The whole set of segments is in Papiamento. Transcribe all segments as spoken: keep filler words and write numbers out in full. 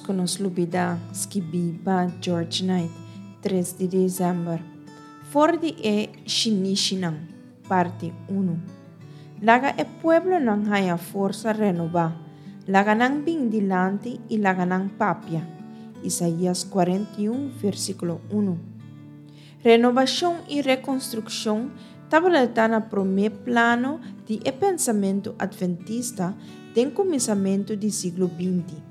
ku nos lubidá, skibí pa George Knight, tres di desèmber. For di e Shinishinan, parti unu. Laga e pueblonan haña forsa renobá, laga nan bin dilanti i laga nan papia. Isaías kuarenta i un, versíkulo unu. Renobashon i rekonstrukshon tabata na promé plano di e pensamentu adventista den kuminsamentu di siglo binti.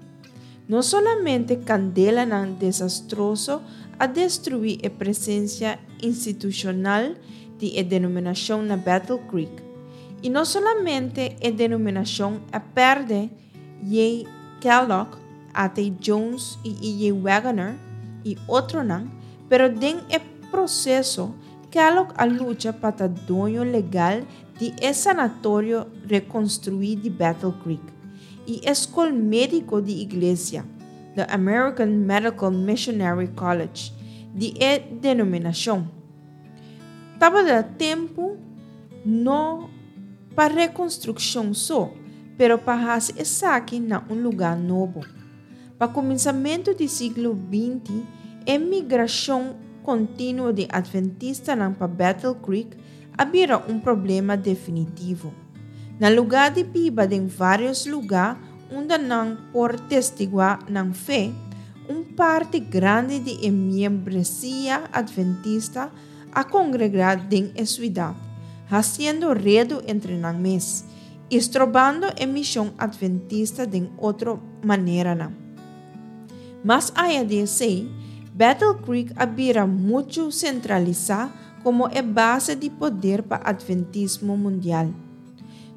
No solamente kandelanan desastroso a destruí e presensia institushonal di e denominashon na Battle Creek, i no solamente e denominashon a pèrdè J. Kellogg, A T Jones i E J Waggoner i otronan, pero den e proseso Kellogg a lucha pa ta doño legal di e sanatorio rekonstruí di Battle Creek i e skol médiko di iglesia, The American Medical Missionary College, di e denominashon. Tabata tempu no pa rekonstrukshon so, pero pa hasi esaki na un lugá nobo. Pa kuminsamentu di siglo binti, e migrashon kontinuo di adventistanan pa Battle Creek a bira un problema definitivo. Na lugá di biba den vários lugá unda nan por testiguá nan fe, un parti grandi di e miembresia adventista a kongregá den e siudat, hasiendo redu entre nan mes i strobando e mishon adventista den otro maneranan. Mas aya di esei, Battle Creek a bira muchu sentralisá komo e base di poder pa adventismo mundial.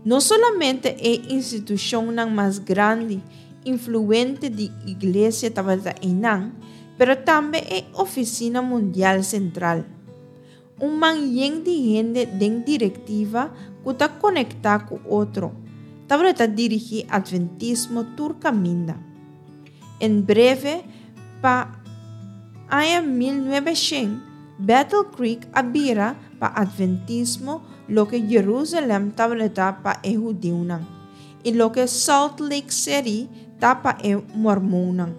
No solamente e institushonnan mas grandi, influente di iglesia tabata einan, pero tambe e ofisina mundial sentral. Un man yen di hende den direktiva ku ta konektá ku otro, tabata dirigí adventismo tur kaminda. En breve, pa aña mil nuebeshen, Battle Creek a bira pa adventismo loke Jerusalem tabata pa e hudiunan i loke Salt Lake City ta pa e mormonnan.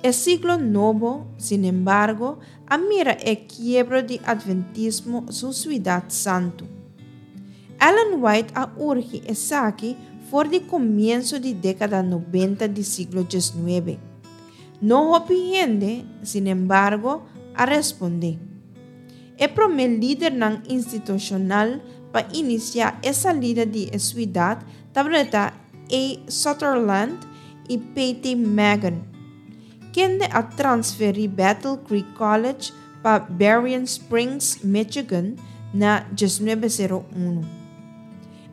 E siglo nobo, sinembargo, a mira e kiebro di adventismo su siudat santu. Ellen White a urgi esaki for di komienso di dékada nobenta di siglo diesnuebe. No hopi hende, sinembargo, a respondé. E promé lidernan institushonal pa inisiá e salida di e siudat tabata A. Sutherland i P T Magon, kende a transferí Battle Creek College pa Berrien Springs, Michigan, na diesnuebe sero unu.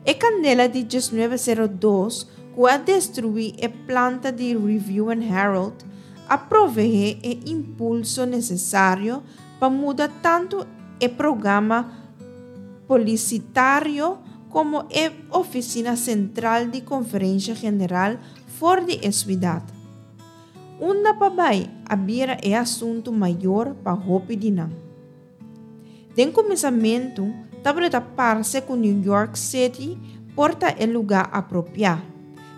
E kandela di diesnuebe sero dos ku a destruí e planta di Review and Herald a proveé e impulso nesesario pa muda tantu e programa polisitario komo e ofisina sentral di Konferensha General for di e siudat. Unda pa bai a bira e asuntu mayor pa hopi di nan. Den kuminsamentu tabata parse ku New York City por ta e lugá apropiá,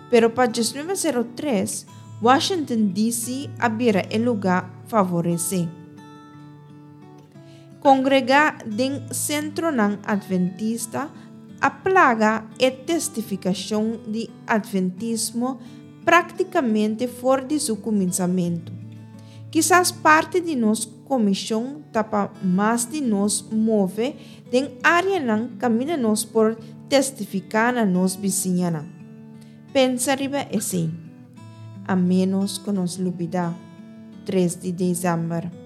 pero pa diesnuebe sero tres Washington D C a bira e lugá favoresé. Kongregá den sentronan adventista a plaga e testifikashon di adventismo práktikamente for di su kuminsamentu. Kisas parti di nos komishon ta pa mas di nos move den áreanan kaminda nos por testifiká na nos bisiñanan. Pensa riba esei. A ménos ku nos lubidá. Tres di desèmber.